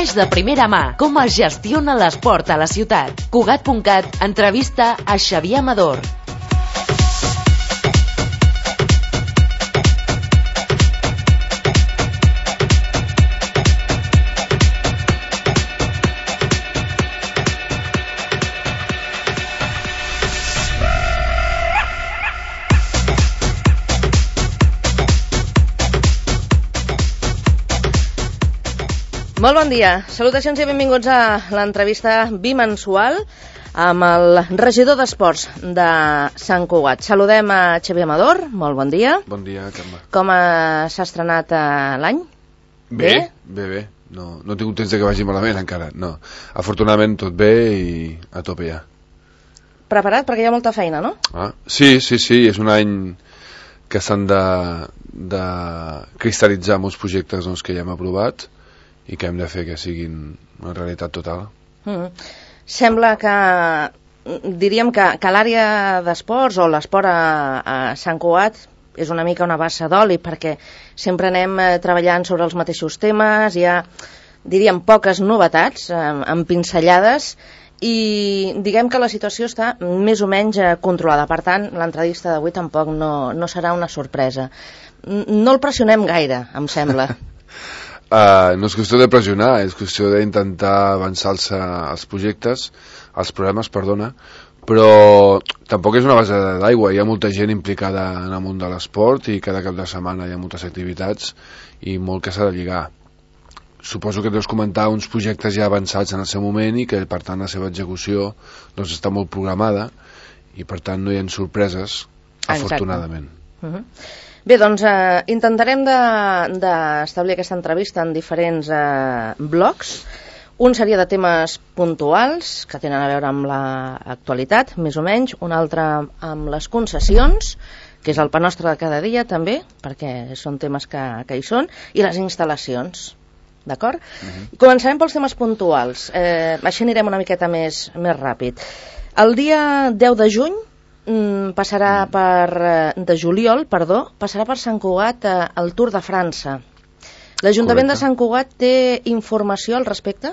Coneix de primera mà com es gestiona l'esport a la ciutat. Cugat.cat entrevista a Xavier Amador. Molt bon dia, salutacions i benvinguts a l'entrevista bimensual amb el regidor d'Esports de Sant Cugat. Saludem a Xavier Amador, molt bon dia. Bon dia, Carme. Com s'ha estrenat l'any? Bé. No he tingut temps que vagi malament encara, no. Afortunadament tot bé i a tope ja. Preparat? Perquè hi ha molta feina, no? Sí, és un any que s'han de cristal·litzar molts projectes que ja hem aprovat i que hem de fer que siguin una realitat total. Sembla que, diríem que l'àrea d'esports o l'esport a Sant Cugat és una mica una bassa d'oli, perquè sempre anem treballant sobre els mateixos temes, hi ha, diríem, poques novetats, amb pinzellades, i diguem que la situació està més o menys controlada. Per tant, l'entrevista d'avui tampoc no serà una sorpresa. No el pressionem gaire, em sembla. No és qüestió de pressionar, és qüestió d'intentar avançar-se als projectes, als programes, però tampoc és una base d'aigua, hi ha molta gent implicada en el món de l'esport i cada cap de setmana hi ha moltes activitats i molt que s'ha de lligar. Suposo que deus comentar uns projectes ja avançats en el seu moment i que per tant la seva execució està molt programada i per tant no hi ha sorpreses, afortunadament. Bé, doncs intentarem d'establir aquesta entrevista en diferents blocs. Un seria de temes puntuals, que tenen a veure amb l'actualitat, més o menys. Un altre amb les concessions, que és el pa nostre de cada dia, també, perquè són temes que hi són, i les instal·lacions. D'acord? Començarem pels temes puntuals. Així anirem una miqueta més ràpid. El dia 10 de juny, de juliol, passarà per Sant Cugat el Tour de França. L'Ajuntament de Sant Cugat té informació al respecte?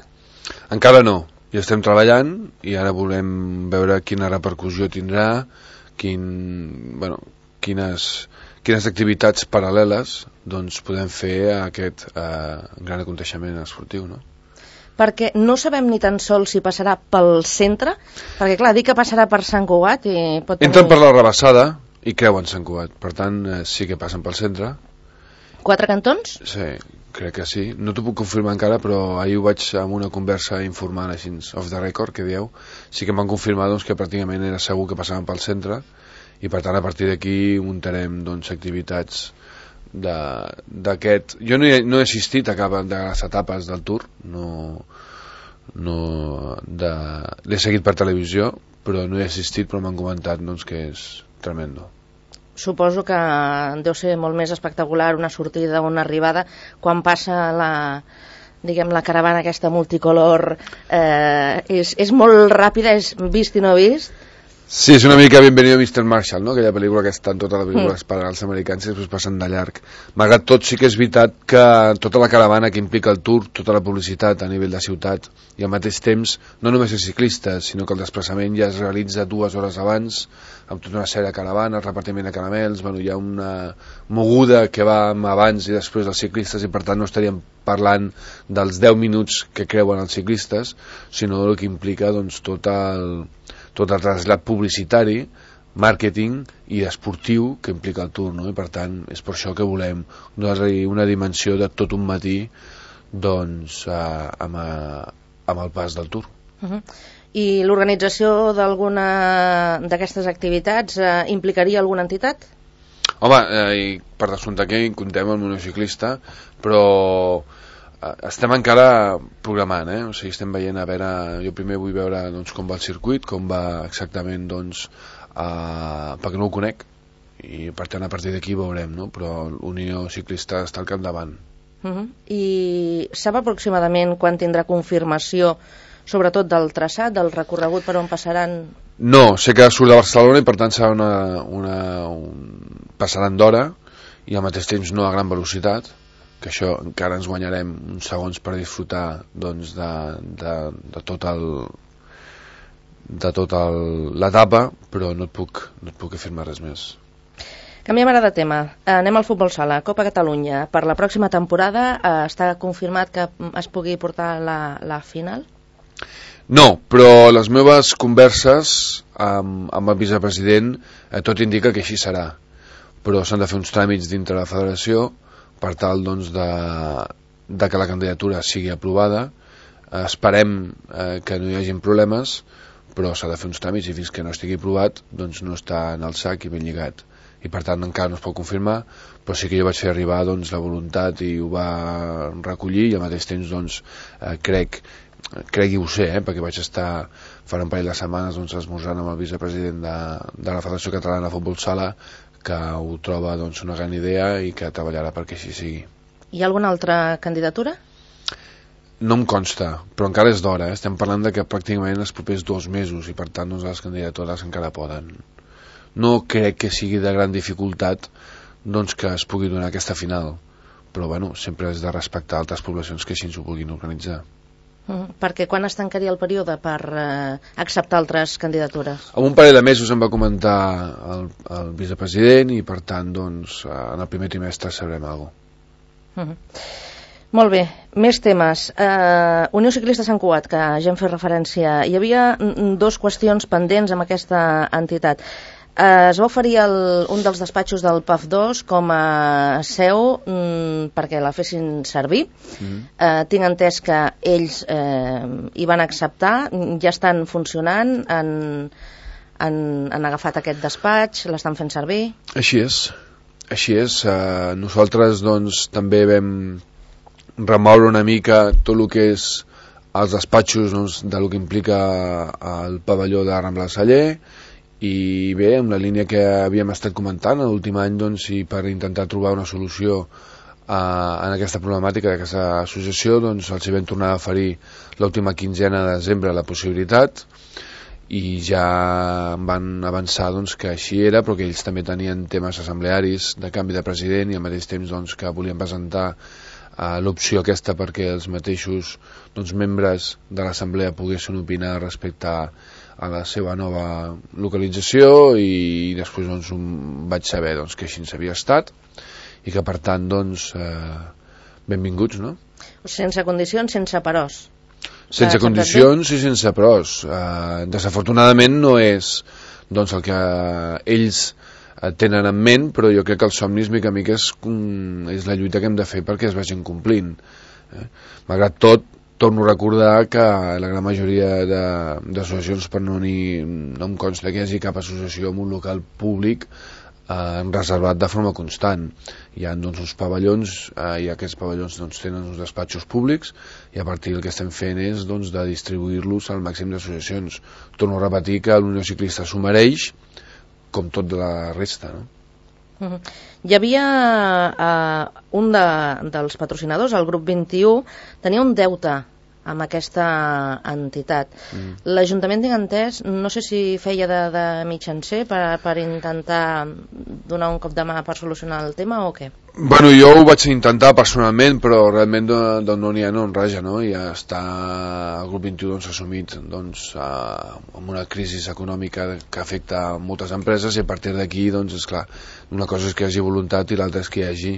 Encara no, hi estem treballant i ara volem veure quina repercussió tindrà, quines activitats paral·leles podem fer a aquest gran aconteixement esportiu, no? Perquè no sabem ni tan sols si passarà pel centre, perquè clar, dir que passarà per Sant Cugat i pot tenir... Entren per la Rabassada i creuen Sant Cugat, per tant sí que passen pel centre. 4 cantons? Sí, crec que sí, no t'ho puc confirmar encara, però ahir ho vaig amb una conversa informant així, off the record, que dieu, sí que em van confirmar que pràcticament era segur que passaven pel centre i per tant a partir d'aquí muntarem activitats d'aquest... Jo no he assistit a cap de les etapes del Tour, l'he seguit per televisió, però no he assistit, però m'han comentat que és tremendo. Suposo que deu ser molt més espectacular una sortida o una arribada quan passa la caravana aquesta multicolor, és molt ràpida, és vist i no vist. Sí, és una mica Bienvenido Mr. Marshall, no? Aquella pel·lícula que està en tota la pel·lícula per als americans i després passen de llarg. Malgrat tot, sí que és veritat que tota la caravana que implica el Tour, tota la publicitat a nivell de ciutat i al mateix temps, no només els ciclistes, sinó que el desplaçament ja es realitza 2 hores abans, amb tota una sèrie de caravanes, repartiment de caramels, hi ha una moguda que va abans i després dels ciclistes i per tant no estaríem parlant dels 10 minuts que creuen els ciclistes, sinó del que implica tot el trasllat publicitari, màrqueting i esportiu que implica el Tour, no? I per tant és per això que volem donar-li una dimensió de tot un matí amb el pas del Tour. I l'organització d'alguna d'aquestes activitats implicaria alguna entitat? Home, per descomptar que hi comptem el monociclista, però estem encara programant, o sigui, estem veient a veure, jo primer vull veure com va el circuit, com va exactament perquè no ho conec i per tant a partir d'aquí veurem, no? Però l'Unió Ciclista està al capdavant. I sap aproximadament quan tindrà confirmació sobretot del traçat, del recorregut per on passaran? No, sé que surt de Barcelona i per tant serà passaran d'hora i al mateix temps no a gran velocitat, que això encara ens guanyarem uns segons per disfrutar doncs, de tota l'etapa, però no et puc afirmar res més. Canviem ara de tema. Anem al futbol sala. Copa Catalunya. Per la pròxima temporada està confirmat que es pugui portar la final? No, però les meves converses amb el vicepresident tot indica que així serà. Però s'han de fer uns tràmits dintre la federació per tal doncs, de que la candidatura sigui aprovada. Esperem que no hi hagin problemes, però s'ha de fer uns tràmits i fins que no estigui aprovat doncs no està en el sac i ben lligat. I per tant encara no es pot confirmar, però sí que jo vaig fer arribar doncs, la voluntat i ho va recollir, i al mateix temps doncs, crec i ho sé, perquè vaig estar fa un parell de setmanes doncs, esmorzant amb el vicepresident de la Federació Catalana de Futbol Sala, que ho troba doncs, una gran idea i que treballarà perquè així sigui. Hi ha alguna altra candidatura? No em consta, però encara és d'hora. Estem parlant de que pràcticament els propers 2 mesos i per tant doncs, les candidatures encara poden. No crec que sigui de gran dificultat doncs, que es pugui donar aquesta final, però bueno, sempre és de respectar altres poblacions que així ens ho puguin organitzar. Perquè quan es tancaria el període per acceptar altres candidatures? En un parell de mesos em va comentar el vicepresident i per tant doncs, en el primer trimestre sabrem alguna cosa. Molt bé, més temes. Unió Ciclista Sant Cugat, que ja hem fet referència. Hi havia 2 qüestions pendents amb aquesta entitat. Es va oferir un dels despatxos del PAF2 com a seu perquè la fessin servir. Tinc entès que ells hi van acceptar, ja estan funcionant, han agafat aquest despatx, l'estan fent servir. Així és. Nosaltres doncs, també vam remoure una mica tot el que és els despatxos doncs, de lo que implica el pavelló de Rambla del Celler, i bé, amb la línia que havíem estat comentant l'últim any doncs, i per intentar trobar una solució en aquesta problemàtica d'aquesta associació, doncs els hi vam tornar a oferir l'última quinzena de desembre la possibilitat i ja van avançar doncs, que així era, però que ells també tenien temes assemblearis de canvi de president i al mateix temps doncs, que volien presentar l'opció aquesta perquè els mateixos doncs, membres de l'assemblea poguessin opinar respecte a la seva nova localització, i després doncs, vaig saber doncs, que així havia estat i que per tant doncs, benvinguts, no? Sense condicions, sense peròs. Sense condicions i sense peròs. Desafortunadament no és doncs, el que ells tenen en ment, però jo crec que el somnis mica en mica és la lluita que hem de fer perquè es vagin complint. Malgrat tot, torno a recordar que la gran majoria d'associacions, per no em consta que hi hagi cap associació en un local públic reservat de forma constant. Hi ha doncs, uns pavellons i aquests pavellons doncs, tenen uns despatxos públics i a partir del que estem fent és doncs, de distribuir-los al màxim d'associacions. Torno a repetir que l'Unió Ciclista s'ho mereix com tot de la resta, no? Hi havia un dels patrocinadors, el grup 21, tenia un deute amb aquesta entitat. L'Ajuntament, tinc entès, no sé si feia de mitjancer per intentar donar un cop de mà per solucionar el tema o què? Bueno, jo ho vaig intentar personalment, però realment no n'hi ha, no en raja, no? Ja està el grup 21 doncs, assumit doncs, amb una crisi econòmica que afecta moltes empreses i a partir d'aquí, doncs, esclar, una cosa és que hi hagi voluntat i l'altra és que hi hagi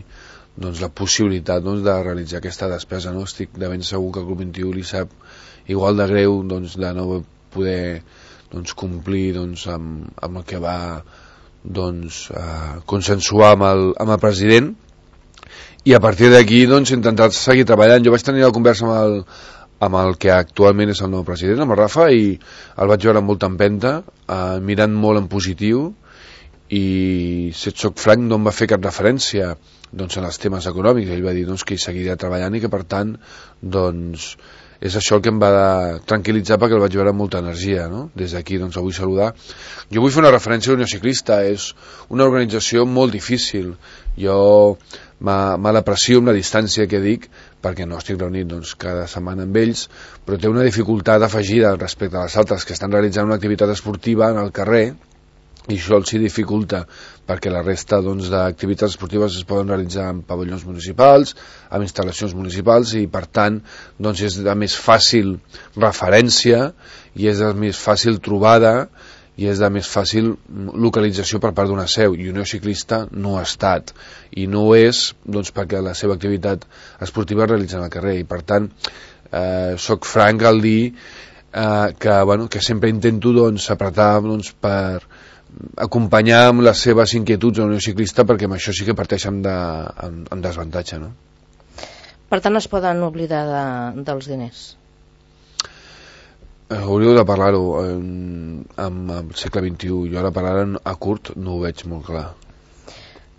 doncs, la possibilitat doncs, de realitzar aquesta despesa, no? Estic de ben segur que el grup 21 li sap igual de greu doncs, de no poder doncs, complir doncs, amb el que va doncs, consensuar amb el president, i a partir d'aquí doncs, intentar seguir treballant. Jo vaig tenir la conversa amb el que actualment és el nou president, amb el Rafa, i el vaig veure amb molta empenta, mirant molt en positiu, i si et soc franc no em va fer cap referència doncs, en els temes econòmics. Ell va dir doncs, que hi seguiria treballant i que per tant doncs, és això el que em va tranquil·litzar perquè el vaig veure amb molta energia, no? Des d'aquí doncs, el vull saludar. Jo vull fer una referència a l'Unió Ciclista. És una organització molt difícil. Jo me l'aprecio amb la distància que dic perquè no estic reunit doncs, cada setmana amb ells, però té una dificultat afegida respecte a les altres que estan realitzant una activitat esportiva en el carrer i això els dificulta perquè la resta d'activitats esportives es poden realitzar en pavellons municipals, en instal·lacions municipals, i per tant és de més fàcil referència i és de més fàcil trobada i és de més fàcil localització per part d'una seu, i Unió Ciclista no ha estat, i no ho és perquè la seva activitat esportiva es realitza al carrer, i per tant soc franc al dir que sempre intento apretar per acompanyar amb les seves inquietuds a la Unió Ciclista, perquè amb això sí que parteixen amb desavantatge, no? Per tant, es poden oblidar dels diners? Hauríeu de parlar-ho amb el segle XXI. Jo ara parlar a curt no ho veig molt clar.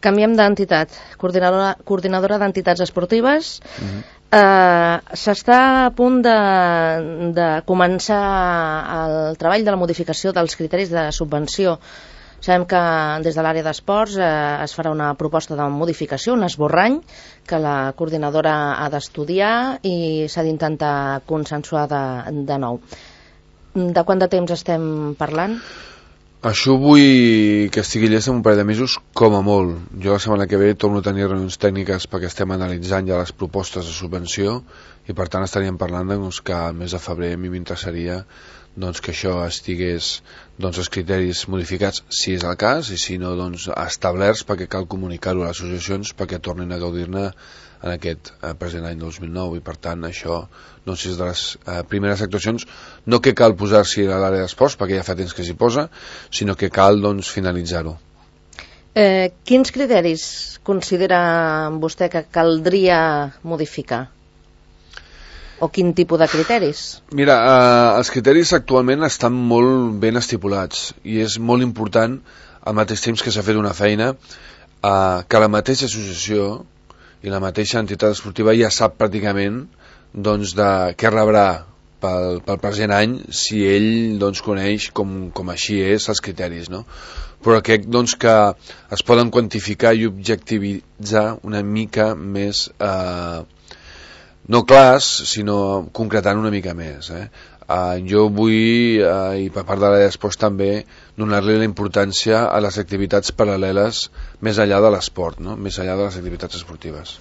Canviem d'entitat. Coordinadora d'entitats esportives. S'està a punt de començar el treball de la modificació dels criteris de subvenció. Sabem que des de l'àrea d'esports es farà una proposta de modificació, un esborrany, que la coordinadora ha d'estudiar i s'ha d'intentar consensuar de nou. De quant de temps estem parlant? Això vull que estigui llest en un parell de mesos, com a molt. Jo la setmana que ve torno a tenir reunions tècniques perquè estem analitzant ja les propostes de subvenció, i per tant estaríem parlant que al mes de febrer a mi m'interessaria que això estigués els criteris modificats, si és el cas, i si no, establerts, perquè cal comunicar-ho a les associacions perquè tornin a gaudir-ne en aquest present any 2009, i per tant això és de les primeres actuacions, no que cal posar-s'hi a l'àrea d'esports perquè ja fa temps que s'hi posa, sinó que cal finalitzar-ho. Quins criteris considera vostè que caldria modificar? O quin tipus de criteris? Mira, els criteris actualment estan molt ben estipulats, i és molt important, al mateix temps que s'ha fet una feina, que la mateixa associació i la mateixa entitat esportiva ja sap pràcticament de què rebrà pel present any, si ell coneix com així és els criteris, no? Però crec que es poden quantificar i objectivitzar una mica més, no clars, sinó concretant una mica més. Jo vull, i per part de l'àrea d'esports també, donar-li la importància a les activitats paral·leles més enllà de l'esport, no? Més enllà de les activitats esportives.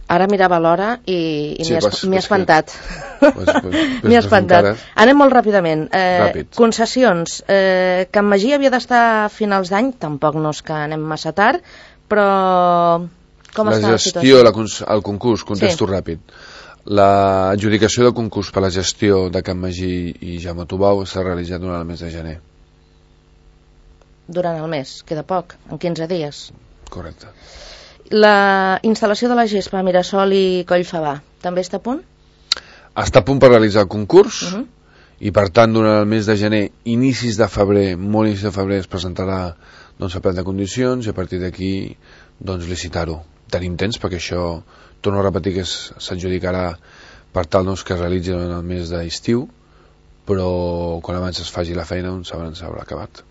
Ara mirava l'hora i sí, m'he espantat. M'he espantat. Anem molt ràpidament. Concessions. Can Magí havia d'estar a finals d'any, tampoc no és que anem massa tard, però com està la situació? La gestió, el concurs, contesto ràpid. L'adjudicació del concurs per la gestió de Can Magí i Jaume Tubau s'ha realitzat durant el mes de gener. Durant el mes? Queda poc, en 15 dies. Correcte. La instal·lació de la gespa a Mirasol i Collfabà també està a punt? Està a punt per realitzar el concurs, i per tant durant el mes de gener, inicis de febrer, molt inicis de febrer, es presentarà a pla de condicions, i a partir d'aquí licitar-ho. Tenim temps perquè això, torno a repetir, que s'adjudicarà per tal que es realitzi en el mes d'estiu, però quan abans es faci la feina s'haurà acabat.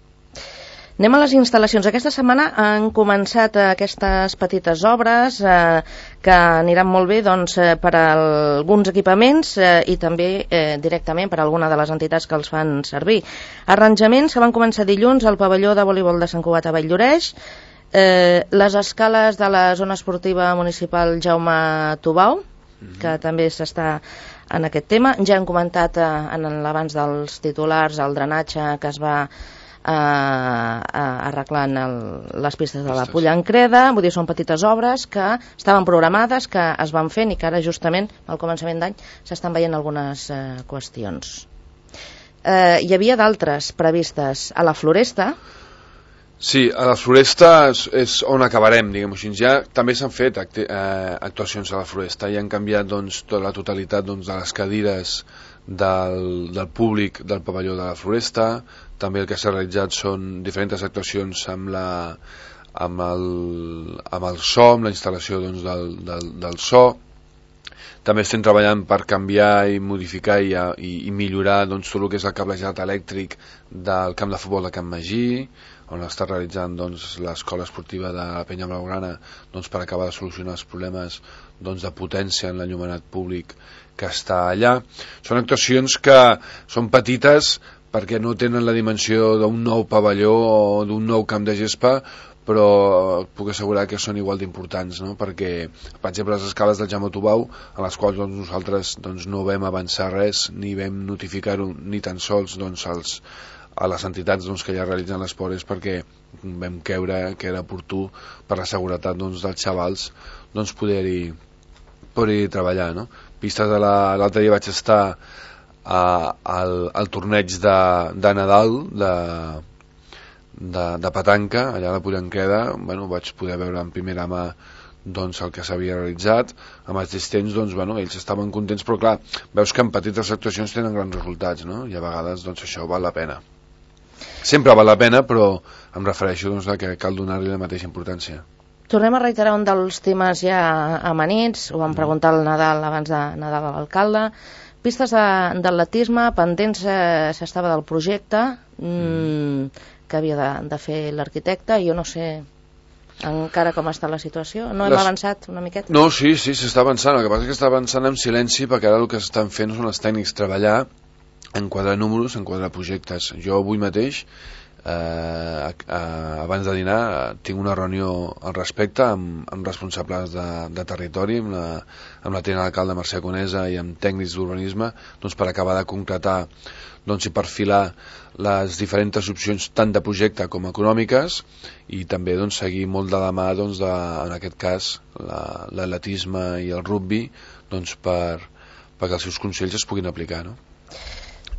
Anem a les instal·lacions. Aquesta setmana han començat aquestes petites obres que aniran molt bé per a alguns equipaments i també directament per a alguna de les entitats que els fan servir. Arranjaments que van començar dilluns al pavelló de voleibol de Sant Cugat a Valldoreix, les escales de la zona esportiva municipal Jaume Tubau, que també s'està en aquest tema. Ja han comentat en l'abans dels titulars el drenatge que es va arreglant les pistes de la Pollancreda. Vull dir, són petites obres que estaven programades, que es van fent i que ara justament al començament d'any s'estan veient algunes qüestions. Hi havia d'altres previstes a la Floresta. Sí, a la Floresta és on acabarem, diguem-ho així. Ja també s'han fet actuacions a la Floresta i han canviat tota la totalitat de les cadires del públic del pavelló de la Floresta. També el que s'ha realitzat són diferents actuacions amb el so, amb la instal·lació del so. També estem treballant per canviar i modificar i millorar tot el que és el cablejat elèctric del camp de futbol de Can Magí, on està realitzant l'escola esportiva de la Penya Blaugrana per acabar de solucionar els problemes de potència en l'enllumenat públic que està allà. Són actuacions que són petites, perquè no tenen la dimensió d'un nou pavelló o d'un nou camp de gespa, però puc assegurar que són igual d'importants, no? Perquè, per exemple, les escales del Jaume Tubau, a les quals nosaltres no vam avançar res, ni vam notificar-ho ni tan sols a les entitats que ja realitzen l'esport, és perquè vam creure que era oportú per la seguretat dels xavals poder-hi treballar, no? Pistes de l'altre dia vaig estar al torneig de Nadal de petanca allà a la Pollenqueda. Vaig poder veure en primera mà el que s'havia realitzat amb els assistents. Ells estaven contents, però clar, veus que en petites actuacions tenen grans resultats, no? I a vegades això val la pena. Sempre val la pena, però em refereixo que cal donar-li la mateixa importància. Tornem a reiterar un dels temes ja amanits, ho vam preguntar al Nadal abans de Nadal a l'alcalde. Pistes d'atletisme, pendents s'estava del projecte que havia de fer l'arquitecte, i jo no sé encara com està la situació. No hem avançat una miqueta? No, sí, s'està avançant. El que passa és que està avançant en silenci, perquè ara el que s'estan fent són els tècnics treballar, enquadrar números, enquadrar projectes. Jo avui mateix, abans de dinar, tinc una reunió al respecte amb responsables de territori, amb la tinent d'alcalde Mercè Conesa i amb tècnics d'urbanisme, per acabar de concretar i perfilar les diferents opcions tant de projecte com econòmiques, i també seguir molt de la mà en aquest cas l'atletisme i el rugby perquè els seus consells es puguin aplicar, no?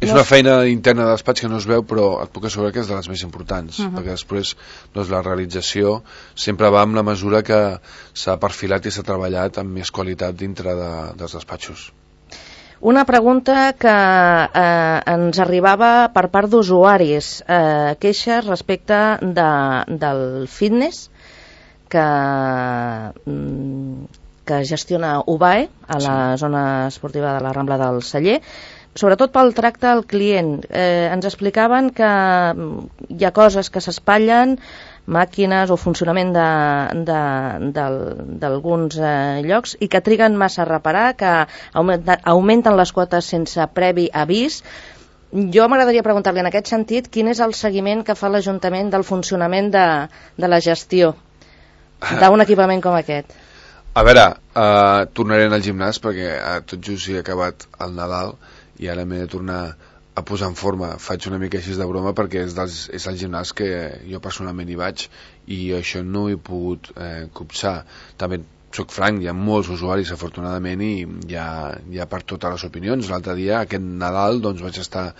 És una feina interna de despatx que no es veu, però et puc assegurar que és de les més importants, perquè després la realització sempre va amb la mesura que s'ha perfilat i s'ha treballat amb més qualitat dintre dels despatxos. Una pregunta que ens arribava per part d'usuaris, queixes respecte del fitness que gestiona UBAE a la zona esportiva de la Rambla del Celler, sobretot pel tracte al client. Ens explicaven que hi ha coses que s'espatllen, màquines o funcionament d'alguns llocs, i que triguen massa a reparar, que augmenten les quotes sense previ avís. Jo m'agradaria preguntar-li en aquest sentit quin és el seguiment que fa l'Ajuntament del funcionament de la gestió d'un equipament com aquest. A veure, tornaré al gimnàs perquè tot just he acabat el Nadal i ara m'he de tornar a posar en forma. Faig una mica així de broma perquè és el gimnàs que jo personalment hi vaig i això no ho he pogut copsar. També soc franc, hi ha molts usuaris afortunadament i hi ha per totes les opinions. L'altre dia, aquest Nadal, vaig estar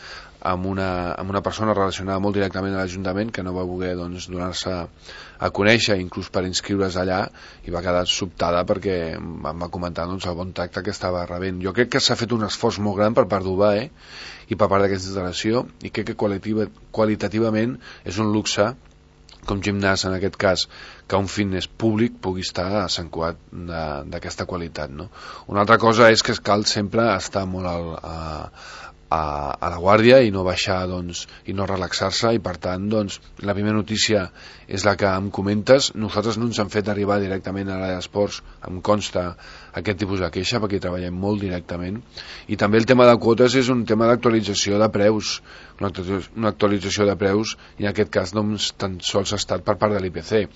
amb una persona relacionada molt directament a l'Ajuntament que no va voler donar-se a conèixer, inclús per inscriure's allà, i va quedar sobtada perquè em va comentar el bon tracte que estava rebent. Jo crec que s'ha fet un esforç molt gran per part d'UBAE i per part d'aquesta instal·lació, i crec que qualitativament és un luxe com gimnàs, en aquest cas, que un fitness públic pugui estar a Sant Cugat d'aquesta qualitat, no? Una altra cosa és que cal sempre estar molt a la guàrdia i no baixar i no relaxar-se, i per tant la primera notícia és la que em comentes. Nosaltres no ens han fet arribar directament a l'àrea d'esports, em consta, aquest tipus de queixa, perquè hi treballem molt directament. I també el tema de quotes és un tema d'actualització de preus, una actualització de preus, i en aquest cas tan sols ha estat per part de l'IPC.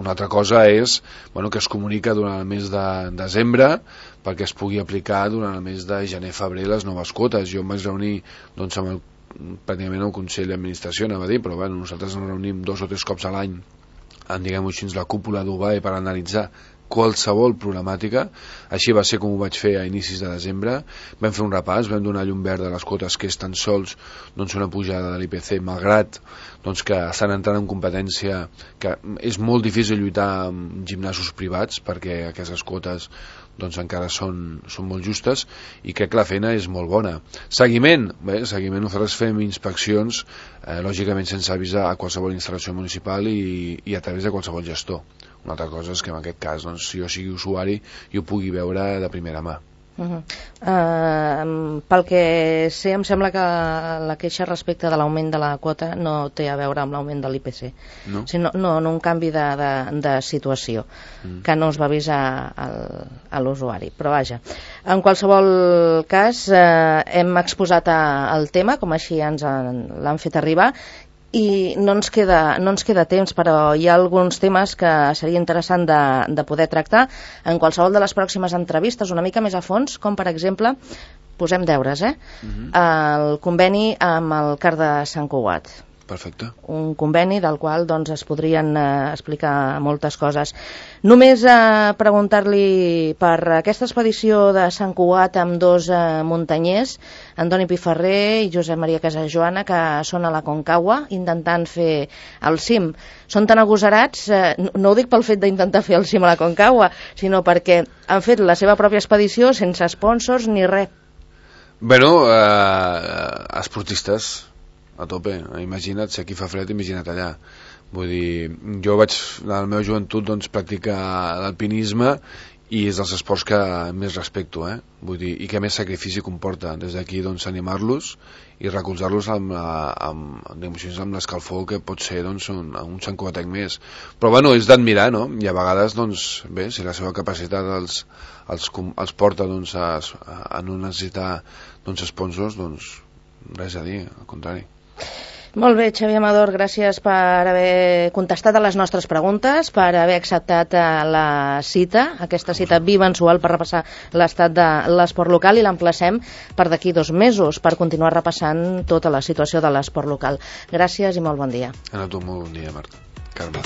Una altra cosa és que es comunica durant el mes de desembre perquè es pugui aplicar durant el mes de gener-febrer les noves quotes. Jo em vaig reunir amb pràcticament el Consell d'Administració, anava a dir, però nosaltres ens reunim 2 o 3 cops a l'any en, diguem-ho així, la cúpula d'UBAE per analitzar qualsevol problemàtica. Així va ser com ho vaig fer a inicis de desembre. Vam fer un repàs, vam donar llum verd a les quotes, que és tan sols una pujada de l'IPC, malgrat que estan entrant en competència, que és molt difícil lluitar amb gimnasos privats perquè aquestes quotes encara són molt justes, i crec que la feina és molt bona. Seguiment, nosaltres fem inspeccions, lògicament sense avisar a qualsevol instal·lació municipal i a través de qualsevol gestor. Una altra cosa és que en aquest cas, si jo sigui usuari, jo pugui veure de primera mà. Pel que sé, em sembla que la queixa respecte de l'augment de la quota no té a veure amb l'augment de l'IPC, sinó un canvi de situació que no es va avisar a l'usuari. Però vaja, en qualsevol cas, hem exposat el tema, com així ens l'han fet arribar, i no ens queda temps, però hi ha alguns temes que seria interessant de poder tractar en qualsevol de les pròximes entrevistes una mica més a fons, com per exemple, posem deures, el conveni amb el CAR de Sant Cugat. Perfecte. Un conveni del qual doncs, es podrien explicar moltes coses. Només preguntar-li per aquesta expedició de Sant Cugat amb dos muntanyers, Antoni Piferrer i Josep Maria Casajoana, que són a la Concagua intentant fer el cim. Són tan agosarats, no ho dic pel fet d'intentar fer el cim a la Concagua, sinó perquè han fet la seva pròpia expedició sense sponsors ni res. Bueno, esportistes a tope, imagina't, si aquí fa fred, imagina't allà. Vull dir, jo vaig, en la meva joventut, doncs, practicar l'alpinisme i és dels esports que més respecto, vull dir, i que més sacrifici comporta. Des d'aquí, doncs, animar-los i recolzar-los amb l'escalfor que pot ser, doncs, un Sant Cugatenc més. Però, bueno, és d'admirar, no? I a vegades, doncs, bé, si la seva capacitat els porta, doncs, a no necessitar, doncs, sponsors, doncs, res a dir, al contrari. Molt bé, Xavier Amador, gràcies per haver contestat a les nostres preguntes, per haver acceptat la cita, aquesta cita bimensual per repassar l'estat de l'esport local, i l'emplacem per d'aquí 2 mesos per continuar repassant tota la situació de l'esport local. Gràcies i molt bon dia. A tu, molt bon dia, Marta. Carme.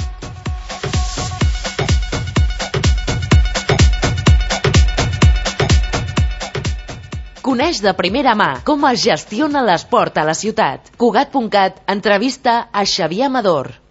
Coneix de primera mà com es gestiona l'esport a la ciutat. Cugat.cat entrevista a Xavier Amador.